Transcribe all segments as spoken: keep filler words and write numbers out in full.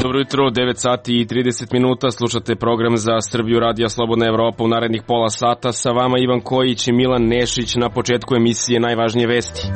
Dobro jutro, devet sati i trideset minuta, slušate program za Srbiju Radija Slobodna Evropa. U narednih pola sata sa vama Ivan Kojić i Milan Nešić. Na početku emisije najvažnije vesti.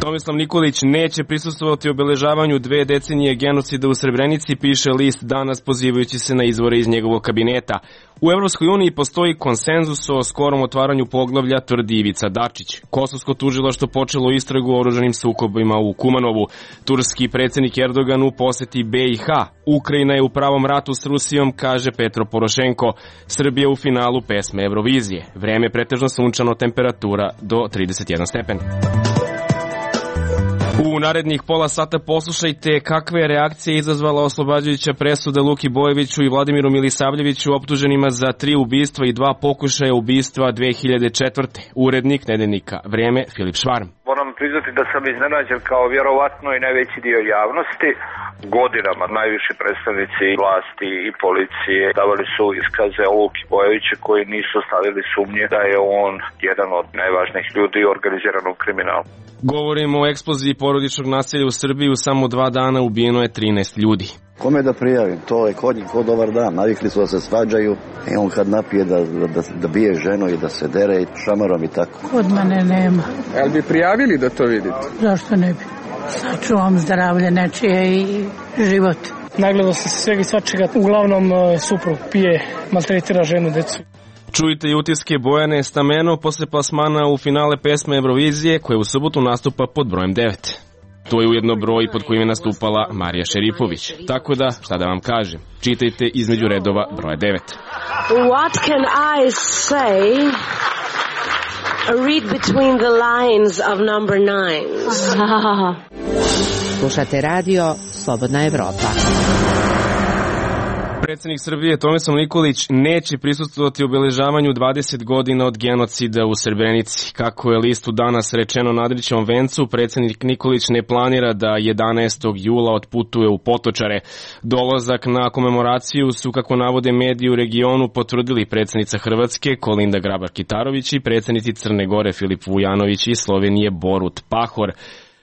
Tomislav Nikolić neće prisustvovati obeležavanju dve decenije genocida u Srebrenici, piše list Danas pozivajući se na izvore iz njegovog kabineta. U Evropskoj uniji postoji konsenzus o skorom otvaranju poglavlja, tvrdi Ivica Dačić. Kosovsko tužilaštvo počelo istragu o oružanim sukobima u Kumanovu. Turski predsjednik Erdogan u poseti B i H. Ukrajina je u pravom ratu s Rusijom, kaže Petro Porošenko. Srbija u finalu pesme Eurovizije. Vreme pretežno sunčano, temperatura do trideset jedan stepen. U narednih pola sata poslušajte kakve je reakcije izazvala oslobađajuća presuda Luki Bojeviću i Vladimiru Milisavljeviću, optuženima za tri ubistva i dva pokušaja ubistva dve hiljade četvrte. Urednik nedeljnika Vrijeme Filip Švarm. Moram priznati da sam iznenađen kao vjerovatno i najveći dio javnosti. Godinama najviši predstavnici vlasti i policije davali su iskaze o Luki Bojeviću koji nisu stavili sumnje da je on jedan od najvažnijih ljudi u organiziranom kriminalu. Govorimo o eksploziji porodičnog nasilja u Srbiji. U samo dva dana ubijeno je trinaest ljudi. Kome da prijavim? To je kod njih kod dobar dan. Navikli su da se svađaju i on kad napije da, da, da bije ženu i da se dere i šamarom i tako. Kod mene nema. Jel bi prijavili da to vidite? Zašto ne bi? Sačuvam zdravlje nečije i život. Nagledao sam se svega i svačega. Uglavnom suprug pije, maltretira ženu, decu. Čujte i utiske Bojane Stameno posle plasmana u finale pesme Eurovizije, koja u subotu nastupa pod brojem devet. To je ujedno broj pod kojim je nastupala Marija Šerifović. Tako da, šta da vam kažem, čitajte između redova broja devet. What can I say? Read between the lines of number nine. Slušate radio Slobodna Evropa. Predsjednik Srbije Tomislav Nikolić neće prisustvovati obeležavanju dvadeset godina od genocida u Srebrenici. Kako je listu Danas rečeno na Adrićevom vencu, predsjednik Nikolić ne planira da jedanaestog jula otputuje u Potočare. Dolazak na komemoraciju su, kako navode mediji u regionu, potvrdili predsjednica Hrvatske Kolinda Grabar-Kitarović i predsjednici Crne Gore Filip Vujanović i Slovenije Borut Pahor.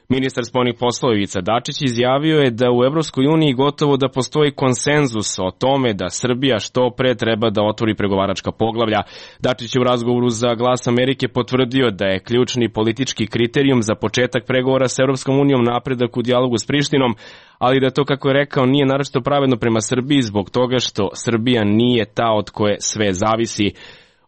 Ministar spoljnih poslova Ivica Dačić izjavio je da u Evropskoj uniji gotovo da postoji konsenzus o tome da Srbija što pre treba da otvori pregovaračka poglavlja. Dačić je u razgovoru za Glas Amerike potvrdio da je ključni politički kriterijum za početak pregovora sa Evropskom unijom napredak u dijalogu s Prištinom, ali da to, kako je rekao, nije naročito pravedno prema Srbiji zbog toga što Srbija nije ta od koje sve zavisi.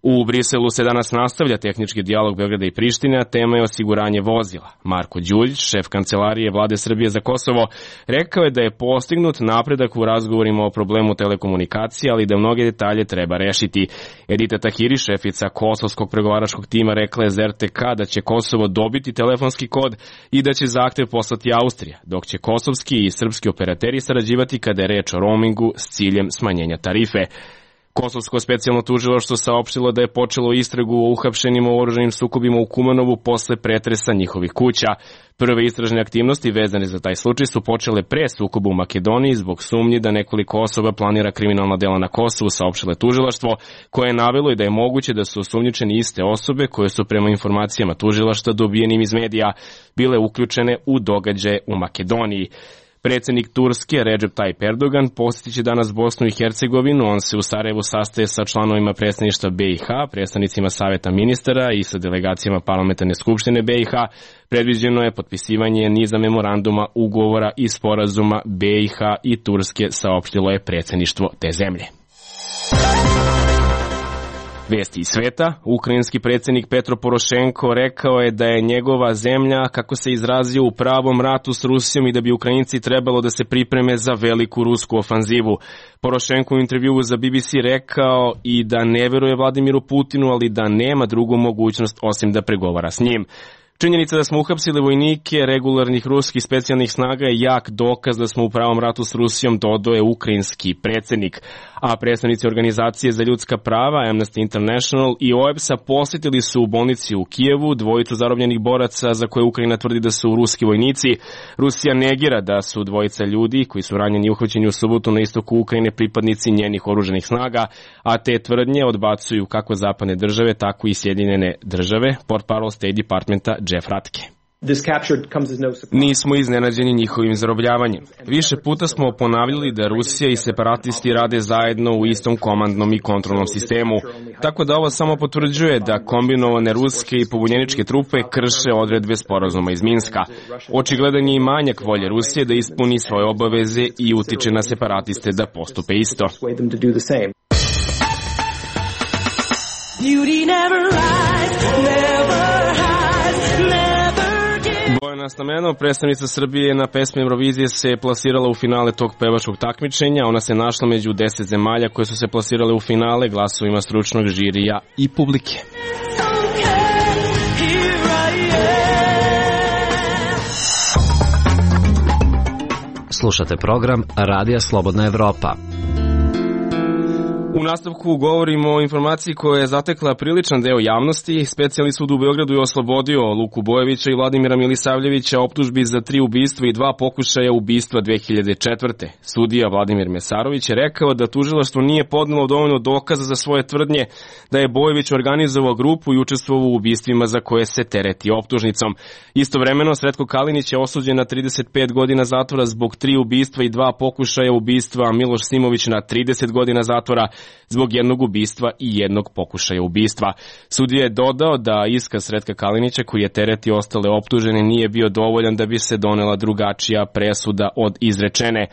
U Briselu se danas nastavlja tehnički dijalog Beograda i Prištine, a tema je osiguranje vozila. Marko Đuljić, šef kancelarije Vlade Srbije za Kosovo, rekao je da je postignut napredak u razgovorima o problemu telekomunikacije, ali da mnoge detalje treba rešiti. Edita Tahiri, šefica kosovskog pregovaračkog tima, rekla je za R T K da će Kosovo dobiti telefonski kod i da će zahtev poslati Austrija, dok će kosovski i srpski operateri sarađivati kada je reč o roamingu s ciljem smanjenja tarife. Kosovsko specijalno tužilaštvo saopštilo da je počelo istragu o uhapšenima u oružanim sukobima u Kumanovu posle pretresa njihovih kuća. Prve istražne aktivnosti vezane za taj slučaj su počele pre sukoba u Makedoniji zbog sumnji da nekoliko osoba planira kriminalna dela na Kosovu, saopštilo je tužilaštvo, koje je navelo i da je moguće da su osumnjičeni iste osobe koje su prema informacijama tužilaštva dobijenim iz medija bile uključene u događaje u Makedoniji. Predsjednik Turske Recep Tayyip Erdogan posjetit će danas Bosnu i Hercegovinu. On se u Sarajevu sastaje sa članovima predsjedništva B i H, predstavnicima Saveta ministara i sa delegacijama Parlamentarne skupštine B i H. Predviđeno je potpisivanje niza memoranduma, ugovora i sporazuma B i H i Turske, saopštilo je predsjedništvo te zemlje. Vesti iz sveta. Ukrajinski predsjednik Petro Porošenko rekao je da je njegova zemlja, kako se izrazio, u pravom ratu s Rusijom i da bi Ukrajinci trebalo da se pripreme za veliku rusku ofanzivu. Porošenko u intervjuu za B B C rekao i da ne veruje Vladimiru Putinu, ali da nema drugu mogućnost osim da pregovara s njim. Činjenica da smo uhapsili vojnike regularnih ruskih specijalnih snaga je jak dokaz da smo u pravom ratu s Rusijom, dodao je ukrajinski predsjednik. A predstavnici organizacije za ljudska prava Amnesty International i O E B S-a posjetili su u bolnici u Kijevu dvojicu zarobljenih boraca za koje Ukrajina tvrdi da su ruski vojnici. Rusija negira da su dvojica ljudi koji su ranjeni i uhvaćeni u subotu na istoku Ukrajine pripadnici njenih oružanih snaga, a te tvrdnje odbacuju kako zapadne države, tako i Sjedinjene države, portparol State Departmenta Jeff Ratke. Nismo iznenađeni njihovim zarobljavanjem. Više puta smo ponavljali da Rusija i separatisti rade zajedno u istom komandnom i kontrolnom sistemu, tako da ovo samo potvrđuje da kombinovane ruske i pobunjeničke trupe krše odredbe sporazuma iz Minska. Očigledan je i manjak volje Rusije da ispuni svoje obaveze i utiče na separatiste da postupe isto. Beauty never lies, never hides, never gives. Bojana Stameno, predstavnica Srbije na pesmi Eurovizije, se plasirala u finale tog pevačkog takmičenja. Ona se našla među deset zemalja koje su se plasirale u finale glasovima stručnog žirija i publike. Slušate program Radija Slobodna Evropa. U nastavku govorimo o informaciji koja je zatekla priličan deo javnosti. Specijalni sud u Beogradu je oslobodio Luku Bojevića i Vladimira Milisavljevića optužbi za tri ubistva i dva pokušaja ubistva dve hiljade četvrte. Sudija Vladimir Mesarović je rekao da tužilaštvo nije podnelo dovoljno dokaza za svoje tvrdnje da je Bojević organizovao grupu i učestvovao u ubistvima za koje se tereti optužnicom. Istovremeno, Sretko Kalinić je osuđen na trideset pet godina zatvora zbog tri ubistva i dva pokušaja ubistva, a Miloš Simović na trideset godina zatvora zbog jednog ubistva i jednog pokušaja ubistva. Sudija je dodao da iskaz Sretka Kalinića, koji je tereti ostale optužene, nije bio dovoljan da bi se donela drugačija presuda od izrečene.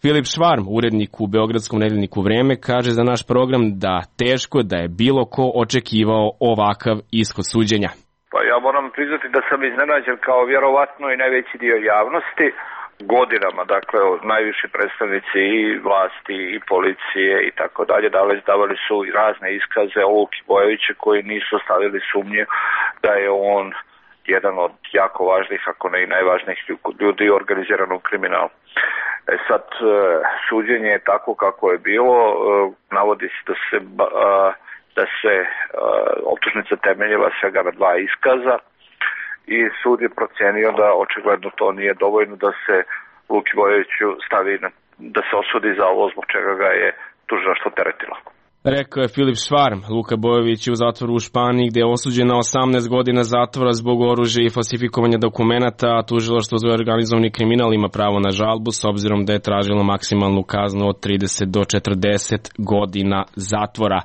Filip Švarm, urednik u Beogradskom nedeljniku Vreme, kaže za naš program da teško da je bilo ko očekivao ovakav ishod suđenja. Pa ja moram priznati da sam iznenađen kao vjerovatno i najveći dio javnosti. Godinama, dakle, najviši predstavnici i vlasti i policije i tako dalje davali su i razne iskaze o Luki Bojeviću koji nisu stavili sumnje da je on jedan od jako važnih, ako ne i najvažnijih ljudi u organiziranom kriminalu. E sad, suđenje je tako kako je bilo, navodi se da se, da se optužnica temeljila svega na dva iskaza, i sud je procenio da očigledno to nije dovoljno da se Luki Bojeviću stavi, da se osudi za ovo zbog čega ga je tužilaštvo teretilo. Rekao je Filip Švarm. Luka Bojević je u zatvoru u Španiji gde je osuđen na osamnaest godina zatvora zbog oružja i falsifikovanja dokumenata, a tužilaštvo za organizovani kriminal ima pravo na žalbu s obzirom da je tražilo maksimalnu kaznu od trideset do četrdeset godina zatvora.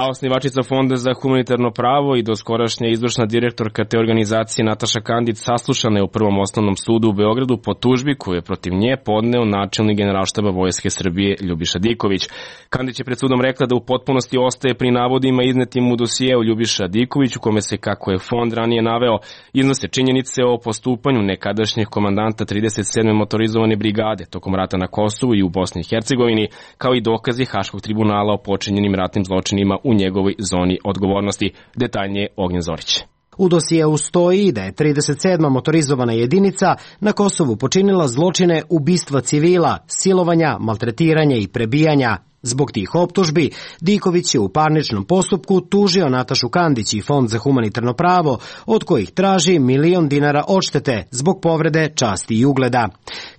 A osnivačica Fonda za humanitarno pravo i doskorašnja izvršna direktorka te organizacije Nataša Kandić saslušana je u Prvom osnovnom sudu u Beogradu po tužbi koju je protiv nje podneo načelnik Generalštaba Vojske Srbije Ljubiša Diković. Kandić je pred sudom rekla da u potpunosti ostaje pri navodima iznetim u dosijeu Ljubiša Diković, u kome se, kako je fond ranije naveo, iznose činjenice o postupanju nekadašnjeg komandanta trideset sedme motorizovane brigade tokom rata na Kosovu i u Bosni i Hercegovini, kao i dokazi Haškog tribunala o počinjenim ratnim zločinima u njegovoj zoni odgovornosti. Detaljnije Ognjen Zorić. U dosijeu stoji da je trideset sedma motorizovana jedinica na Kosovu počinila zločine ubistva civila, silovanja, maltretiranja i prebijanja. Zbog tih optužbi, Diković je u parničnom postupku tužio Natašu Kandić i Fond za humanitarno pravo, od kojih traži milion dinara odštete zbog povrede časti i ugleda.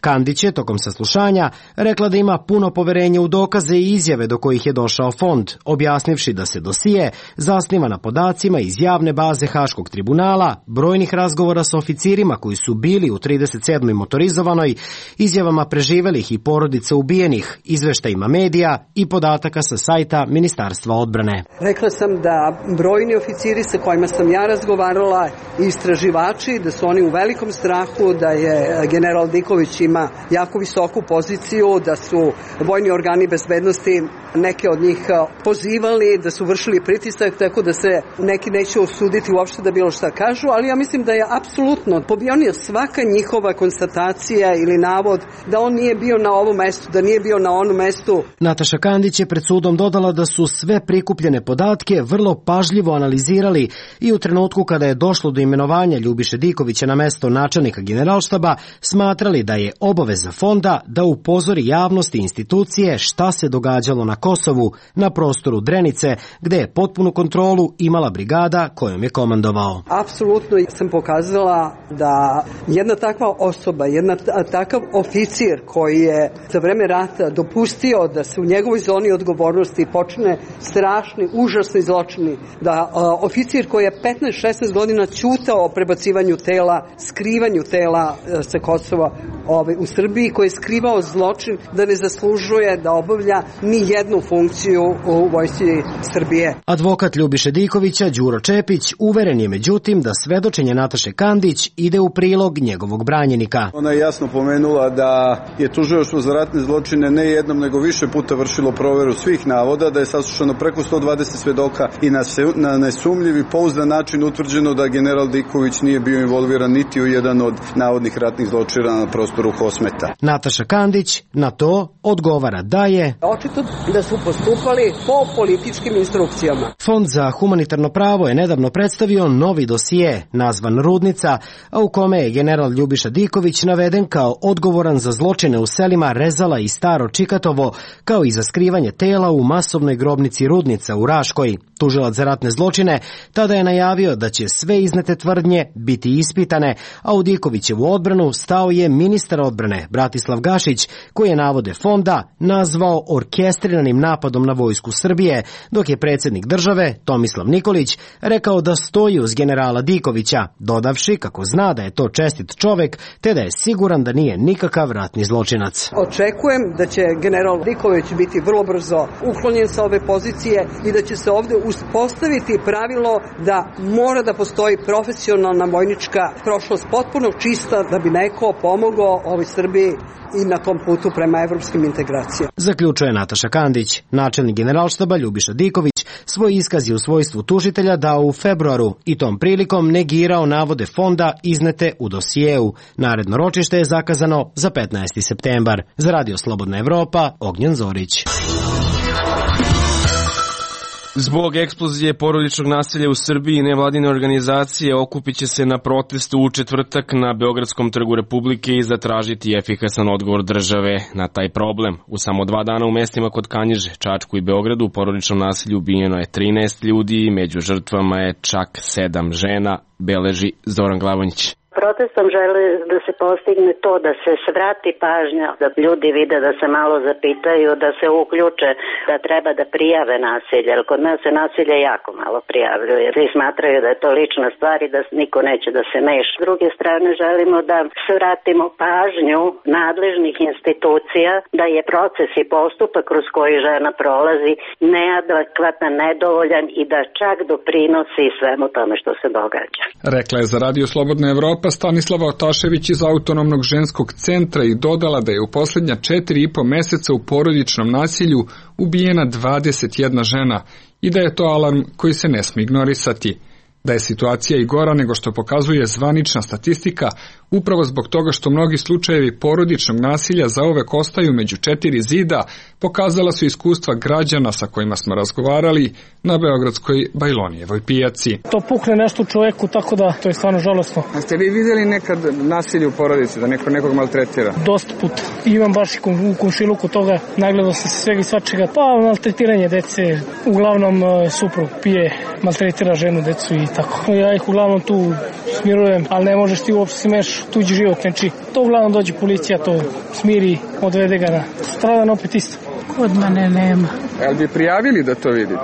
Kandić je tokom saslušanja rekla da ima puno poverenje u dokaze i izjave do kojih je došao fond, objasnivši da se dosije zasniva na podacima iz javne baze Haškog tribunala, brojnih razgovora sa oficirima koji su bili u trideset sedmoj motorizovanoj, izjavama preživelih i porodica ubijenih, izveštajima medija i podataka sa sajta Ministarstva odbrane. Rekla sam da brojni oficiri sa kojima sam ja razgovarala i istraživači, da su oni u velikom strahu, da je general Diković ima jako visoku poziciju, da su vojni organi bezbednosti neke od njih pozivali, da su vršili pritisak, tako da se neki neće osuditi uopšte da bilo šta kažu, ali ja mislim da je apsolutno pobijena svaka njihova konstatacija ili navod da on nije bio na ovom mestu, da nije bio na onom mestu. Nataša Kandić je pred sudom dodala da su sve prikupljene podatke vrlo pažljivo analizirali i u trenutku kada je došlo do imenovanja Ljubiše Dikovića na mesto načelnika Generalštaba smatrali da je obaveza fonda da upozori javnost i institucije šta se događalo na Kosovu, na prostoru Drenice, gde je potpunu kontrolu imala brigada kojom je komandovao. Apsolutno sam pokazala da jedna takva osoba, jedna takav oficir koji je za vreme rata dopustio da se u njegovoj zoni odgovornosti počne strašni, užasni zločini, da a, oficir koji je petnaest šesnaest godina ćutao o prebacivanju tela, skrivanju tela a, sa Kosova ove, u Srbiji, koji je skrivao zločin, da ne zaslužuje da obavlja ni jednu funkciju u vojsci Srbije. Advokat Ljubiše Dikovića, Đuro Čepić, uveren je međutim da svedočenje Nataše Kandić ide u prilog njegovog branjenika. Ona je jasno pomenula da je tužilaštvo za ratne zločine ne jednom nego više puta vršilo proveru svih navoda, da je saslušano preko sto dvadeset svedoka i na, se, na nesumljiv i pouzdan način utvrđeno da general Diković nije bio involviran niti u jedan od navodnih ratnih zločina na prostoru Kosmeta. Nataša Kandić na to odgovara da je očito da su postupali po političkim instrukcijama. Fond za humanitarno pravo je nedavno predstavio novi dosije nazvan Rudnica, a u kome je general Ljubiša Diković naveden kao odgovoran za zločine u selima Rezala i Staro Čikatovo, kao i za skrivanje tela u masovnoj grobnici Rudnica u Raškoj. Tužilac za ratne zločine tada je najavio da će sve iznete tvrdnje biti ispitane, a u Dikovićevu odbranu stao je ministar odbrane Bratislav Gašić, koji je navode fonda nazvao orkestriranim napadom na vojsku Srbije, dok je predsjednik države Tomislav Nikolić rekao da stoji uz generala Dikovića, dodavši kako zna da je to čestit čovek, te da je siguran da nije nikakav ratni zločinac. Očekujem da će general Diković biti vrlo brzo uklonjen sa ove pozicije i da će se ovde uspostaviti pravilo da mora da postoji profesionalna vojnička prošlost potpuno čista da bi neko pomogao ovoj Srbiji i na tom putu prema evropskim integracijama. Zaključuje Nataša Kandić. Načelnik Generalštaba Ljubiša Diković svoj iskaz je u svojstvu tužitelja dao u februaru i tom prilikom negirao navode fonda iznete u dosijeu. Naredno ročište je zakazano za petnaesti septembar. Za Radio Slobodna Evropa, Ognjen Zorić. Zbog eksplozije porodičnog nasilja u Srbiji nevladine organizacije okupit će se na protestu u četvrtak na Beogradskom trgu Republike i zatražiti efikasan odgovor države na taj problem. U samo dva dana u mestima kod Kanjiže, Čačku i Beogradu u porodičnom nasilju ubijeno je trinaest ljudi, među žrtvama je čak sedam žena, beleži Zoran Glavonjić. Protestom žele da se postigne to da se svrati pažnja, da ljudi vide, da se malo zapitaju, da se uključe, da treba da prijave nasilje, jer kod nas se nasilje jako malo prijavljuje. Svi smatraju da je to lična stvar i da niko neće da se meša. S druge strane želimo da svratimo pažnju nadležnih institucija da je proces i postupak kroz koji žena prolazi neadekvatan, nedovoljan i da čak doprinosi svemu tome što se događa. Rekla je za Radio Slobodna Evropa Stanislava Otašević iz Autonomnog ženskog centra i dodala da je u poslednja četiri i po meseca u porodičnom nasilju ubijena dvadeset jedna žena i da je to alarm koji se ne smije ignorisati. Da je situacija i gora nego što pokazuje zvanična statistika, upravo zbog toga što mnogi slučajevi porodičnog nasilja zauvek ostaju među četiri zida, pokazala su iskustva građana sa kojima smo razgovarali na beogradskoj Bajlonijevoj pijaci. To pukne nešto u čoveku, tako da to je stvarno žalosno. A ste vi vidjeli nekad nasilje u porodici, da neko nekog maltretira? Dosta puta. Imam baš i u komšiluku toga, nagledao sam se svega i svačega. Pa maltretiranje dece, uglavnom suprug pije, maltretira ženu, decu i tako. Ja ih uglavnom tu smirujem, ali ne možeš ti uopšte smeš tuđi život, znači to uglavnom dođe policija, to smiri, odvede ga na stradan opet isto. Kod mene nema. Jel bi prijavili da to vidite?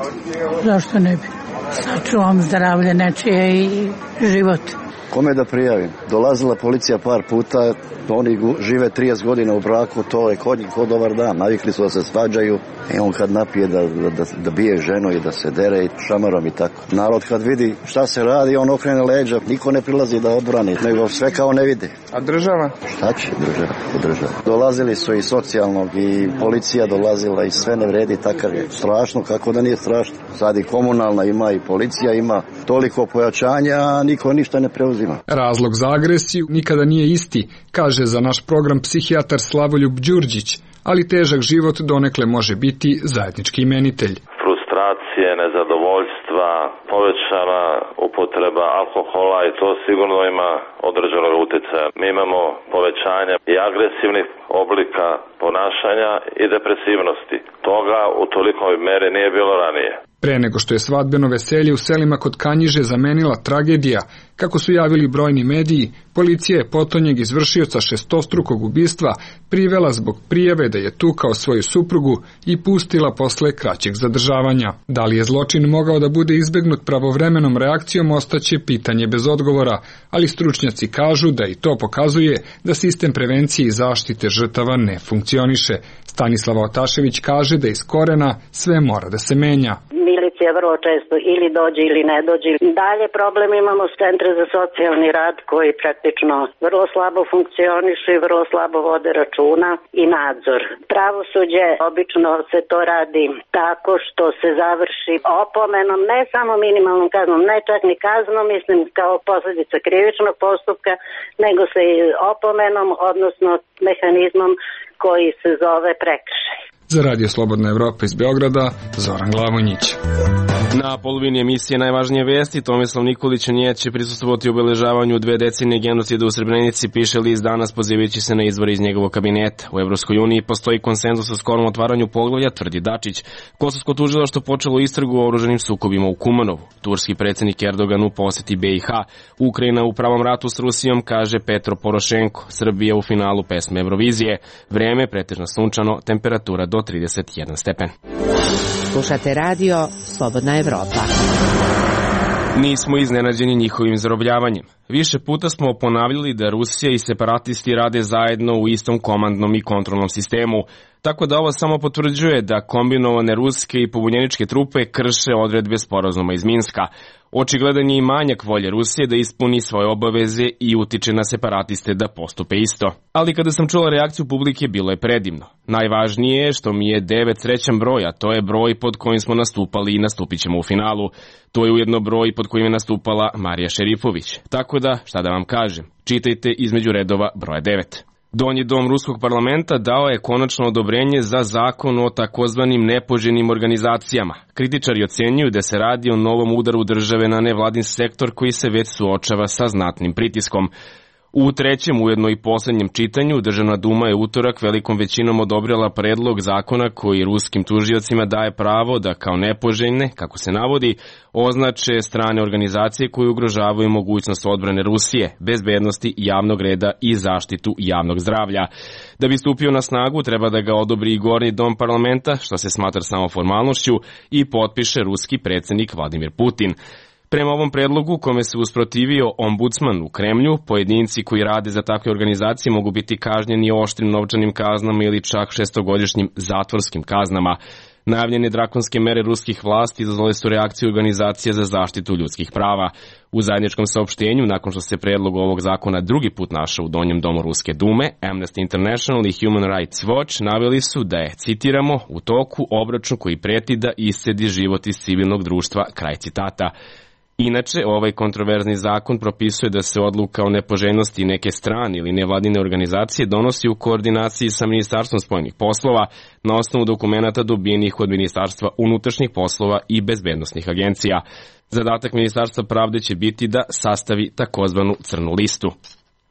Zašto ne bi? Sačuvam zdravlje nečije i život. Kome da prijavim? Dolazila policija par puta, oni žive trideset godina u braku, to je kod njih ko dobar dan, navikli su da se svađaju i on kad napije da, da, da bije ženu i da se dere i šamarom i tako. Narod kad vidi šta se radi, on okrene leđa, niko ne prilazi da odbrani, nego sve kao ne vide. A država? Šta će država? država? Dolazili su i socijalnog i policija dolazila i sve ne vredi, takav je. Strašno, kako da nije strašno. Sad i komunalna ima i policija ima toliko pojačanja, a niko ništa ne preuzima. Razlog za agresiju nikada nije isti, kaže za naš program psihijatar Slavoljub Đurđić, ali težak život donekle može biti zajednički imenitelj. Frustracije, nezadovoljstva, povećana upotreba alkohola i to sigurno ima određenog utjecaja. Mi imamo povećanje i agresivnih oblika ponašanja i depresivnosti. Toga u tolikoj meri nije bilo ranije. Pre nego što je svadbeno veselje u selima kod Kanjiže zamenila tragedija, kako su javili brojni mediji, policija je potonjeg izvršioca šestostrukog ubistva privela zbog prijave da je tukao svoju suprugu i pustila posle kraćeg zadržavanja. Da li je zločin mogao da bude izbegnut pravovremenom reakcijom ostaće pitanje bez odgovora, ali stručnjaci kažu da i to pokazuje da sistem prevencije i zaštite žrtava ne funkcioniše. Stanislava Otašević kaže da iz korena sve mora da se menja. Milicija vrlo često ili dođe ili ne dođe. Dalje problem imamo s centre za socijalni rad koji praktično vrlo slabo funkcionišu i vrlo slabo vode računa i nadzor. Pravosuđe obično se to radi tako što se završi opomenom, ne samo minimalnom kaznom, ne čak ni kaznom, mislim kao posljedica krivičnog postupka, nego se i opomenom, odnosno mehanizmom koji se zove prekršaj. Za Radio Slobodna Evropa iz Beograda, Zoran Glavonjić. Na polovini emisije Najvažnije vesti Tomislav Nikolić neće prisustvovati obeležavanju dve decenije genocida u Srebrenici, piše list Danas pozivajući se na izvore iz njegovog kabineta. U Evropskoj uniji postoji konsenzus o skorom otvaranju poglavlja, tvrdi Dačić. Kosovsko tužilaštvo počelo istragu o oružanim sukobima u Kumanovu. Turski predsjednik Erdogan u poseti B i H. Ukrajina u pravom ratu s Rusijom, kaže Petro Porošenko. Srbija u finalu pesme Eurovizije. Vreme pretežno sunčano, temperatura do trideset jedan stepen. Slušate radio Slobodna Evropa. Nismo iznenađeni njihovim zarobljavanjem. Više puta smo ponavljali da Rusija i separatisti rade zajedno u istom komandnom i kontrolnom sistemu, tako da ovo samo potvrđuje da kombinovane ruske i pobunjeničke trupe krše odredbe sporazuma iz Minska. Očigledan je i manjak volje Rusije da ispuni svoje obaveze i utiče na separatiste da postupe isto. Ali kada sam čula reakciju publike, bilo je predivno. Najvažnije je što mi je devet srećan broj, a to je broj pod kojim smo nastupali i nastupit ćemo u finalu. To je ujedno broj pod kojim je nastupala Marija Šerifović. Tako da, šta da vam kažem, čitajte između redova broja devet. Donji dom ruskog parlamenta dao je konačno odobrenje za zakon o takozvanim nepoželjnim organizacijama. Kritičari ocenjuju da se radi o novom udaru države na nevladin sektor koji se već suočava sa znatnim pritiskom. U trećem, ujedno i poslednjem čitanju, Državna duma je utorak velikom većinom odobrila predlog zakona koji ruskim tužiocima daje pravo da kao nepoželjne, kako se navodi, označe strane organizacije koje ugrožavaju mogućnost odbrane Rusije, bezbednosti javnog reda i zaštitu javnog zdravlja. Da bi stupio na snagu, treba da ga odobri i gornji dom parlamenta, što se smatra samo formalnošću, i potpiše ruski predsjednik Vladimir Putin. Prema ovom predlogu, kome se usprotivio ombudsman u Kremlju, pojedinci koji rade za takve organizacije mogu biti kažnjeni oštrim novčanim kaznama ili čak šestogodišnjim zatvorskim kaznama. Najavljene drakonske mere ruskih vlasti izazvale su reakciju organizacije za zaštitu ljudskih prava. U zajedničkom saopštenju, nakon što se predlog ovog zakona drugi put našao u donjem domu Ruske dume, Amnesty International i Human Rights Watch naveli su da je, citiramo, u toku obračun koji preti da iscedi život iz civilnog društva, kraj citata. Inače, ovaj kontroverzni zakon propisuje da se odluka o nepoželjnosti neke strane ili nevladine organizacije donosi u koordinaciji sa Ministarstvom spoljnih poslova na osnovu dokumenata dobijenih od Ministarstva unutrašnjih poslova i bezbednosnih agencija. Zadatak Ministarstva pravde će biti da sastavi takozvanu crnu listu.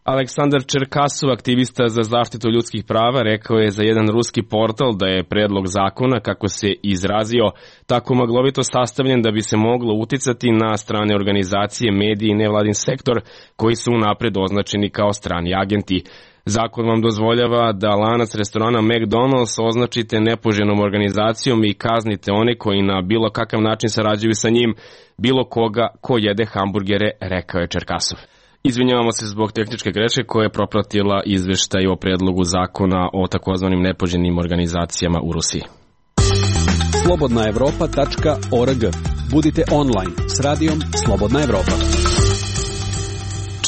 Aleksandar Čerkasov, aktivista za zaštitu ljudskih prava, rekao je za jedan ruski portal da je predlog zakona, kako se izrazio, tako maglovito sastavljen da bi se moglo uticati na strane organizacije, medije i nevladin sektor koji su unapred označeni kao strani agenti. Zakon vam dozvoljava da lanac restorana McDonald's označite nepoželjnom organizacijom i kaznite one koji na bilo kakav način sarađuju sa njim, bilo koga ko jede hamburgere, rekao je Čerkasov. Izvinjavamo se zbog tehničke greške koja je propratila izveštaj o predlogu zakona o takozvanim nepoželjnim organizacijama u Rusiji. slobodna evropa tačka org. Budite online s radijom Slobodna Evropa.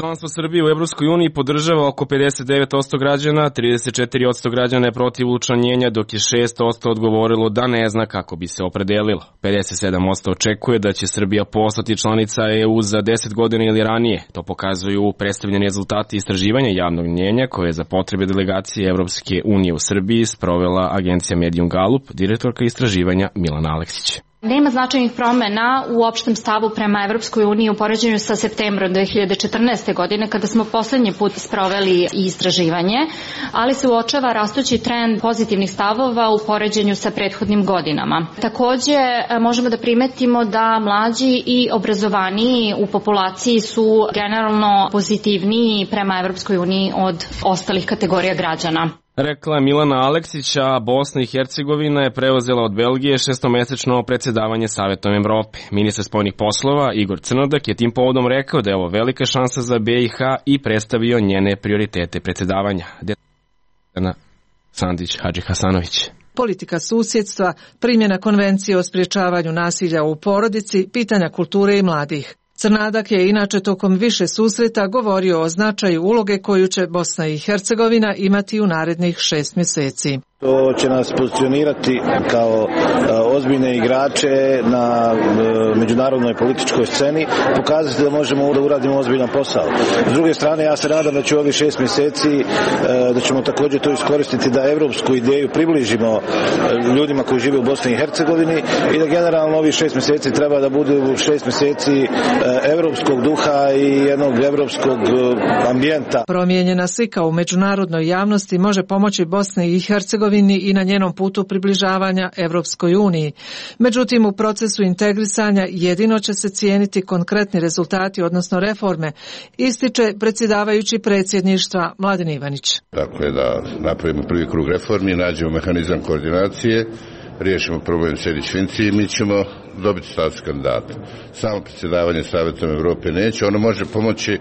Članstvo Srbije u Evropskoj uniji podržava oko pedeset devet posto građana, trideset četiri posto građana je protiv učlanjenja, dok je šest posto odgovorilo da ne zna kako bi se opredelilo. pedeset sedam posto očekuje da će Srbija postati članica E U za deset godina ili ranije. To pokazuju predstavljeni rezultati istraživanja javnog mnjenja koje je za potrebe delegacije Evropske unije u Srbiji sprovela agencija Medium Gallup, direktorka istraživanja Milana Aleksić. Nema značajnih promena u opštem stavu prema Evropskoj uniji u poređenju sa septembrom dve hiljade četrnaeste. godine kada smo poslednji put sproveli istraživanje, ali se uočava rastući trend pozitivnih stavova u poređenju sa prethodnim godinama. Takođe možemo da primetimo da mlađi i obrazovaniji u populaciji su generalno pozitivniji prema Evropskoj uniji od ostalih kategorija građana. Rekla Milana Aleksića, Bosna i Hercegovina je preuzela od Belgije šestomesečno predsjedavanje Savetom Evrope. Ministar spoljnih poslova Igor Crnodak je tim povodom rekao da je ovo velika šansa za B i H i predstavio njene prioritete predsjedavanja. Sandić Hadži Hasanović. Politika susjedstva, primjena konvencije o sprječavanju nasilja u porodici, pitanja kulture i mladih. Crnadak je inače tokom više susreta govorio o značaju uloge koju će Bosna i Hercegovina imati u narednih šest mjeseci. To će nas pozicionirati kao ozbiljne igrače na međunarodnoj političkoj sceni, pokazati da možemo da uradimo ozbiljan posao. S druge strane, ja se nadam da će ovih šest mjeseci, da ćemo također to iskoristiti da evropsku ideju približimo ljudima koji žive u Bosni i Hercegovini i da generalno ovih šest mjeseci treba da budu šest mjeseci evropskog duha i jednog evropskog ambijenta. Promijenjena slika u međunarodnoj javnosti može pomoći Bosni i Hercegovini i na njenom putu približavanja Evropskoj uniji. Međutim, u procesu integrisanja jedino će se cijeniti konkretni rezultati, odnosno reforme, ističe predsjedavajući predsjedništva Mladen Ivanić. Tako je da napravimo prvi krug reformi, nađemo mehanizam koordinacije, riješimo problem Sejdić-Finci i mi ćemo dobiti status kandidata. Samo predsjedavanje Savetom Evrope neće, ono može pomoći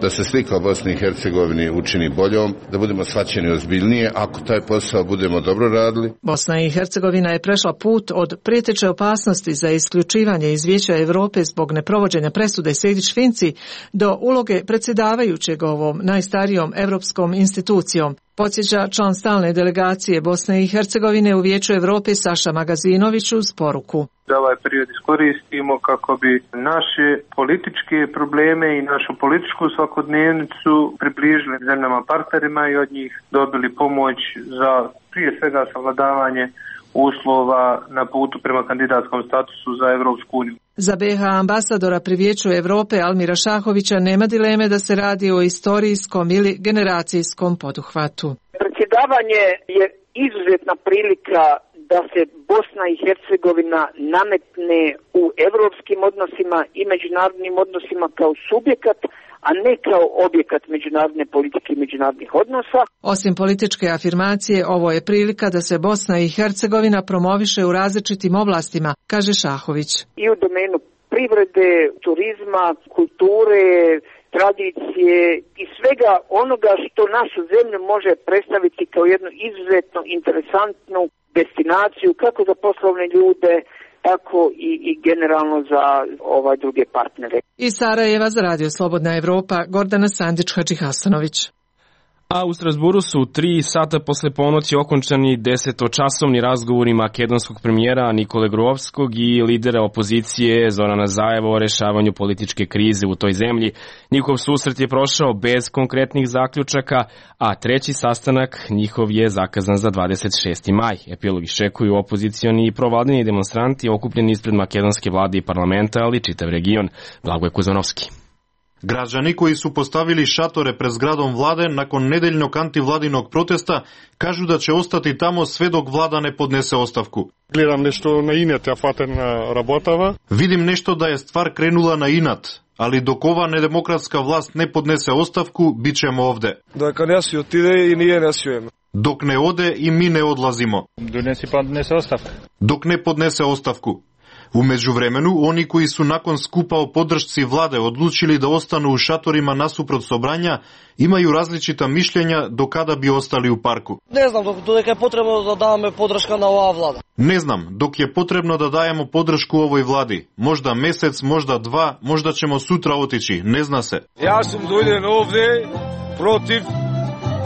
da se slika o Bosni i Hercegovini učini boljom, da budemo shvaćeni ozbiljnije ako taj posao budemo dobro radili. Bosna i Hercegovina je prešla put od prijeteće opasnosti za isključivanje iz Vijeća Evrope zbog neprovođenja presude Sejdić-Finci do uloge predsjedavajućeg ovom najstarijom evropskom institucijom. Podsjeća član stalne delegacije Bosne i Hercegovine u Vijeću Evrope Saša Magazinović uz poruku. Da ovaj period iskoristimo kako bi naše političke probleme i našu političku svakodnevnicu približili zemljama partnerima i od njih dobili pomoć za prije svega savladavanje uslova na putu prema kandidatskom statusu za Evropsku uniju. Za B H ambasadora pri Vijeću Evrope Almira Šahovića nema dileme da se radi o istorijskom ili generacijskom poduhvatu. Predsjedavanje je izuzetna prilika da se Bosna i Hercegovina nametne u evropskim odnosima i međunarodnim odnosima kao subjekat, a ne kao objekat međunarodne politike i međunarodnih odnosa. Osim političke afirmacije, ovo je prilika da se Bosna i Hercegovina promoviše u različitim oblastima, kaže Šahović. I u domenu privrede, turizma, kulture, tradicije i svega onoga što našu zemlju može predstaviti kao jednu izuzetno interesantnu destinaciju kako za poslovne ljude, tako i, i generalno za ovaj druge partnere. Iz Sarajeva za Radio Slobodna Evropa, Gordana Sandić Hadži Hasanović. A u Strasburu su tri sata posle ponoći okončani desetočasovni razgovori makedonskog premijera Nikole Gruevskog i lidera opozicije Zorana Zaeva o rešavanju političke krize u toj zemlji. Njihov susret je prošao bez konkretnih zaključaka, a treći sastanak njihov je zakazan za dvadeset šesti maj. Epilog iščekuju opozicioni i provladini demonstranti okupljeni ispred makedonske vlade i parlamenta, ali čitav region. Blagoje Kuzanovski. Građani koji su postavili šatore pred zgradom vlade nakon nedeljnog antivladinog protesta kažu da će ostati tamo sve dok vlada ne podnese ostavku. Gledam nešto na inat, a faten работава. Vidim nešto da je stvar krenula na inat, ali dok ova nedemokratska vlast ne podnese ostavku, bit ćemo ovde. Dok ne si otide i nije nesujemo. Dok ne ode i mi ne odlazimo. Donesi pa podnese ostavku. Dok ne podnese ostavku. U međuvremenu, oni koji su nakon skupa o podršci vlade odlučili da ostanu u šatorima nasuprot sobranja, imaju različita mišljenja do kada bi ostali u parku. Ne znam dok je potrebno da dame podrška na ova vlada. Ne znam dok je potrebno da dajemo podršku ovoj vladi. Možda mesec, možda dva, možda ćemo sutra otići, ne zna se. Ja sam dođen ovde protiv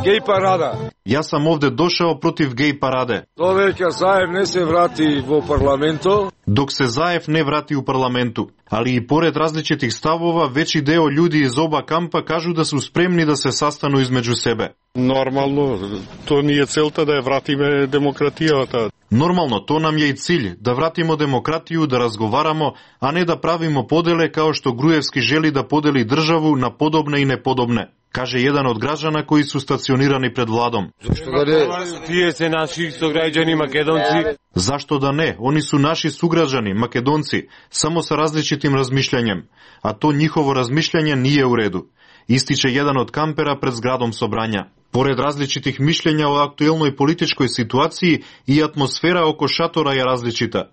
gej parada. Ja sam ovde došao protiv gej parade. Dok Zaev ne se vrati u parlamentu. Dok se Zaev ne vrati u parlamentu. Ali i pored različitih stavova, veći deo ljudi iz oba kampa kažu da su spremni da se sastanu između sebe. Normalno, to nije celta da je vratime demokratijata. Normalno, to nam je i cilj, da vratimo demokratiju, da razgovaramo, a ne da pravimo podele kao što Grujevski želi da podeli državu na podobne i nepodobne, kaže jedan od građana koji su stacionirani pred vladom. Zašto da ne? Tije se naših sugrađani Makedonci. Zašto da ne? Oni su naši sugrađani, Makedonci, samo sa različitim razmišljanjem, a to njihovo razmišljanje nije u redu, ističe jedan od kampera pred zgradom sobranja. Pored različitih mišljenja o aktuelnoj političkoj situaciji, i atmosfera oko šatora je različita.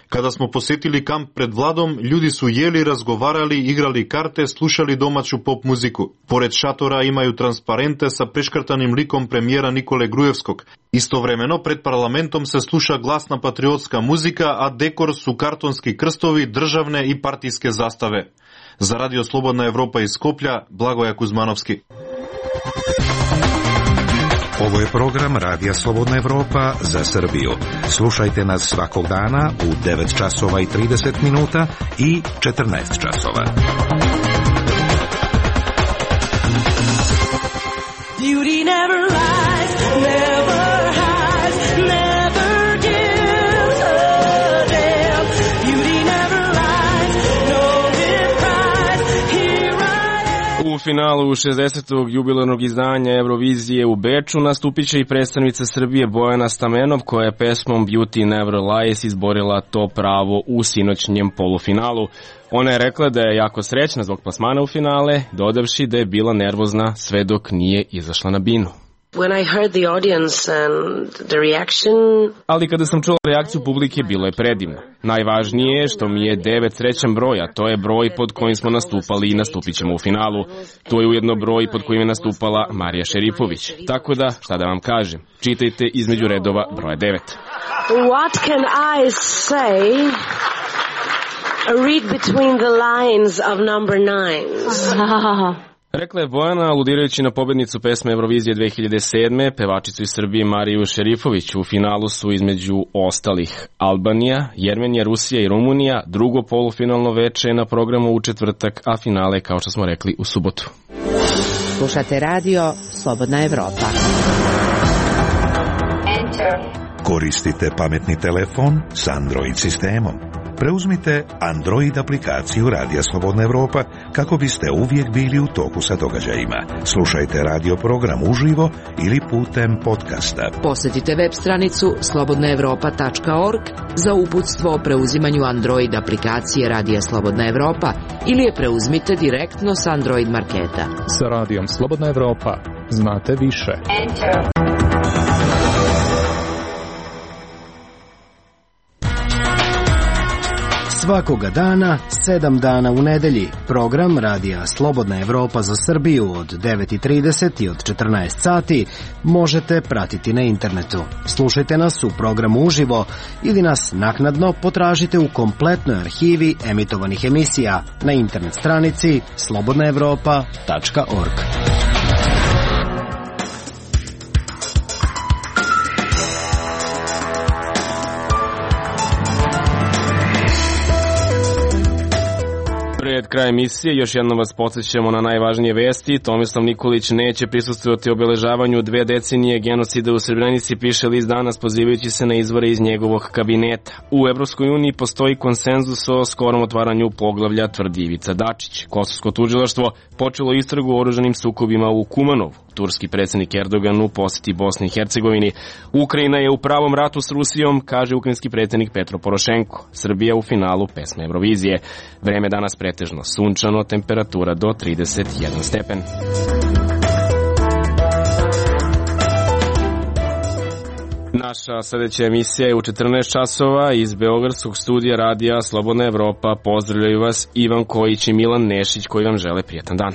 Kada smo posjetili kamp pred vladom, ljudi su jeli, razgovarali, igrali karte, slušali domaću pop muziku. Pored šatora imaju transparente sa preškrtanim likom premijera Nikole Grujevskog. Istovremeno, pred parlamentom se sluša glasna patriotska muzika, a dekor su kartonski krstovi, državne i partijske zastave. Za Radio Slobodna Evropa iz Skoplja, Blagoja Kuzmanovski. Ovo je program Radija Slobodna Evropa za Srbiju. Slušajte nas svakog dana u devet časova i trideset minuta i četrnaest časova. Beauty never lies, never hides, never gives a damn. Beauty never lies, no reprise, here I am. U finalu šezdesetog jubilarnog izdanja Eurovizije u Beču nastupit će i predstavnica Srbije Bojana Stamenov, koja je pesmom Beauty Never Lies izborila to pravo u sinoćnjem polufinalu. Ona je rekla da je jako srećna zbog plasmana u finale, dodavši da je bila nervozna sve dok nije izašla na binu. When I heard the audience and the reaction... Ali kada sam čula reakciju publike, bilo je predivno. Najvažnije je što mi je devet srećan broj, a to je broj pod kojim smo nastupali i nastupit ćemo u finalu. To je ujedno broj pod kojim je nastupala Marija Šerifović. Tako da, šta da vam kažem, čitajte između redova broja devet. What can I say? Read between the lines of number nines. Rekla je Bojana, aludirajući na pobednicu pesme Eurovizije dve hiljade sedme, pevačicu iz Srbije Mariju Šerifović. U finalu su između ostalih Albanija, Jermenija, Rusija i Rumunija. Drugo polufinalno veče je na programu u četvrtak, a finale, kao što smo rekli, u subotu. Slušate radio Slobodna Evropa. Koristite pametni telefon s Android sistemom. Preuzmite Android aplikaciju Radija Slobodna Evropa kako biste uvijek bili u toku sa događajima. Slušajte radio program uživo ili putem podcasta. Posjetite web stranicu slobodna evropa tačka org za uputstvo o preuzimanju Android aplikacije Radija Slobodna Evropa ili je preuzmite direktno s Android marketa. Sa Radijom Slobodna Evropa znate više. Enter. Svakoga dana, sedam dana u nedelji, program Radija Slobodna Evropa za Srbiju od devet i trideset i od četrnaest sati možete pratiti na internetu. Slušajte nas u programu uživo ili nas naknadno potražite u kompletnoj arhivi emitovanih emisija na internet stranici slobodna evropa tačka org. Pred kraj emisije još jednom vas podsjećamo na najvažnije vesti. Tomislav Nikolić neće prisustvovati obeležavanju dve decenije genocida u Srebrenici, piše list Danas pozivajući se na izvore iz njegovog kabineta. U Evropskoj uniji postoji konsenzus o skorom otvaranju poglavlja, tvrdi Ivica Dačić. Kosovsko tužilaštvo počelo istragu o oružanim sukobima u Kumanovu. Turski predsjednik Erdogan u posjeti Bosni i Hercegovini. Ukrajina je u pravom ratu s Rusijom, kaže ukrajinski predsjednik Petro Porošenko. Srbija u finalu pesme Eurovizije. Vreme danas pretežno sunčano, temperatura do trideset jedan stepen. Naša sledeća emisija je u četrnaest časova iz Beogradskog studija radija Slobodna Evropa. Pozdravljaju vas Ivan Kojić i Milan Nešić koji vam žele prijatan dan.